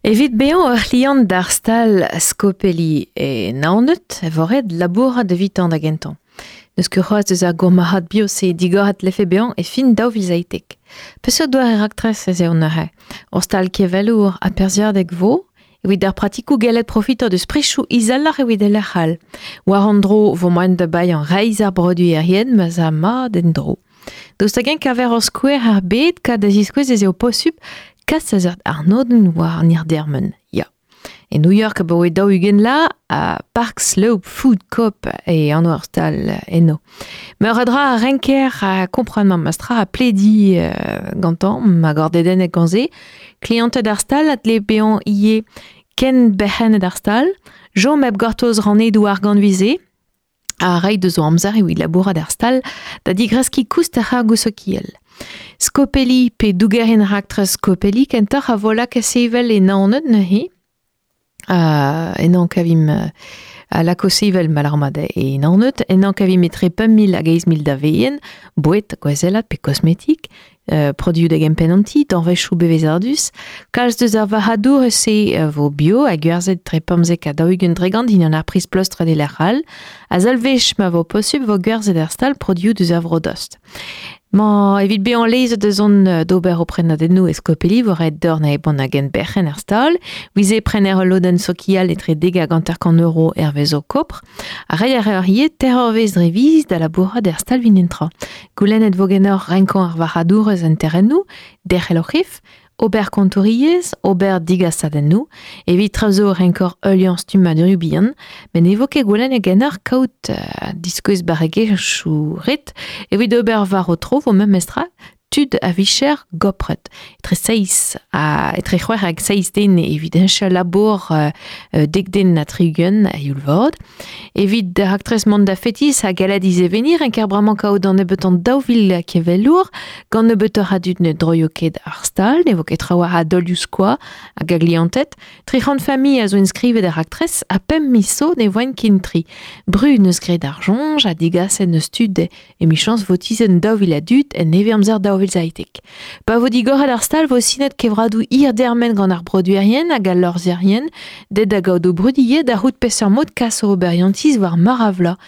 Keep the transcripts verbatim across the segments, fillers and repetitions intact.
Evit bezañ ur c'hliant d'ar stal Scopelli e Naoned e vo ret labourat evitañ da gentañ. N'eus ket c'hoazh deus ar gourmarc'had bio-se digoret lefe bezañ e fin daou vil seitek. Peseurt doare raktres ez eo neuze? Ur stal kevelour ha perzhiadek vo evit ar pratikoù gellet profitañ deus prichoù izeloc'h evit e lec'h all. War an dro vo moaien da baeañ reizh ar produerien ma 'z a mat en-dro. Daoust hag-eñ kaver ur skouer ar bed kad da ziskouez ez eo posupl kas a seurt arnodenn war an hirdermen, ya. E New York abaoe daou-ugent la, a Park Slope Food Coop e anv ar stal eno. Meur a dra a renker a kompren ma mastra a pledi euh, gantañ, ma gordedennek gant se. Klianted ar stal a dle bezañ ivez ken berc'hennet ar stal, chom hep gortoz rannedoù argant vize, a reiñ deus o amzer evit labourat ar stal da digreskiñ koust ar c'hargoù sokial. Scopelli pe dougerien raktres Scopelli kentoc'h a vo lakaet sevel e Naoned neuze. Uh, ennañ kavimp uh, a lako sevel malarmat e Naoned, ennañ kavimp etre pemp mil hag eizh mil daveen, boued, gwazellat pe kosmetik, uh, produioù da gempenn an ti, danvezioù bevezadus, kalz deus ar varc'hadour se uh, vo bio ha gwerzhet tre pemzek ha daou-ugent dregant dindan ar priz pleustret e lec'h all, ha salvech ma vo posupl vo gwerzhet ar stal produioù deus ar vro-dost. Ma evit bezañ lezet deus on d'ober o prenadennoù e Scopelli vo ret dorn e bon hag en berc'henn ar stal, wize prener ul lodenn sokial etre dek hag hanter-kant euro hervez ho kopr, ha reiñ a reor ivez teir eurvezh dre viz da labourat er stal vin entra. Goulennet vo ganeoc'h renkañ ar varc'hadourez en terrennoù, derc'hel o c'hef, ober kontouriezh, ober digasadennoù, evit traoù renkor heuliañ stummadurioù bihan, met ne vo ket goulennet ganeoc'h kaout uh, diskouez barregezhioù ret, evit ober war ho tro vo memestra tud a vicher gopret. Etre seizh ha etre c'hwec'h hag seizh den evit heñchañ labour uh, dek den ha tri-ugent a youl vat. Evit raktres mont da fetis ha gallet izeveniñ renker bremañ kaout an nebeutañ daou vil kevelour, gant nebeutoc'h a dud ne droio ket ar stal, ne vo ket trawalc'h a dolioù skoa hag a glianted. Tri c'hant familh a zo inskrivet ar raktres ha pemp miz zo ne voent ken tri. Bru neus graet ar soñj ha digaset neus tud emichañs vo tizhet daou vil a dud en nevez-amzer daou vil seitek. Pa vo digoret ar stal vo sinet kevradoù hir-dermen gant ar produerien hag al lorzherien, det da gaout o brudilhet da c'hoût peseurt mod kas o oberiantiz war meur a vloaz.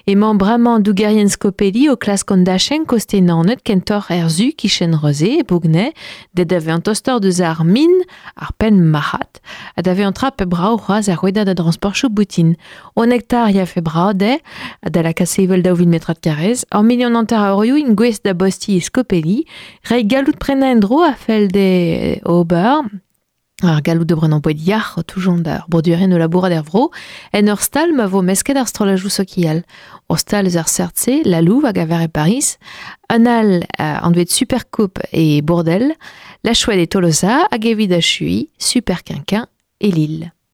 Emañ bremañ dougerien Scopelli o klask an dachenn koste Naoned kentoc'h er su kichen Reze e Bougnay, det da vezañ tostoc'h deus ar min, ar penn marc'had, ha da vezañ tra pe brav c'hoazh ar rouedad a transportioù boutin. Un hektar ya fe brav dezhe, ha da lakaat sevel daou vil metrad karrez, ur milion hanter a eurioù int gouest da bostiñ e Scopelli, reiñ galloud prenañ en-dro a fell dezhe ober, ar galloud da brenañ boued yac'h o toujañ d'ar broduerien o labourat er vro, en ur stal ma vo mesket ar strollajoù sokial. Ur stal eus ar seurt-se, La Louve hag a ver e Paris, un all uh, anvet Supercoop e Bourdel, La Chouette e Tolosa hag evit achuiñ Super Quinquin e Lille.